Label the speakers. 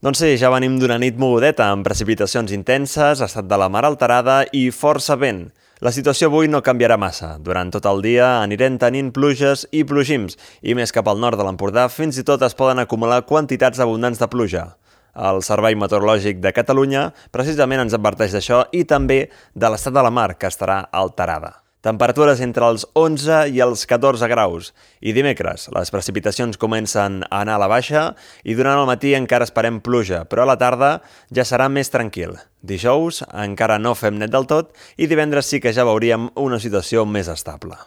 Speaker 1: Doncs sí, ja venim d'una nit mogudeta amb precipitacions intenses, estat de la mar alterada i força vent. La situació avui no canviarà massa. Durant tot el dia anirem tenint pluges i plogims i més cap al nord de l'Empordà fins i tot es poden acumular quantitats abundants de pluja. El Servei Meteorològic de Catalunya precisament ens adverteix d'això i també de l'estat de la mar, que estarà alterada. Temperatures entre els 11 i els 14 graus. I dimecres, les precipitacions comencen a anar a la baixa i durant el matí encara esperem pluja, però a la tarda ja serà més tranquil. Dijous encara no fem net del tot i divendres sí que ja veuríem una situació més estable.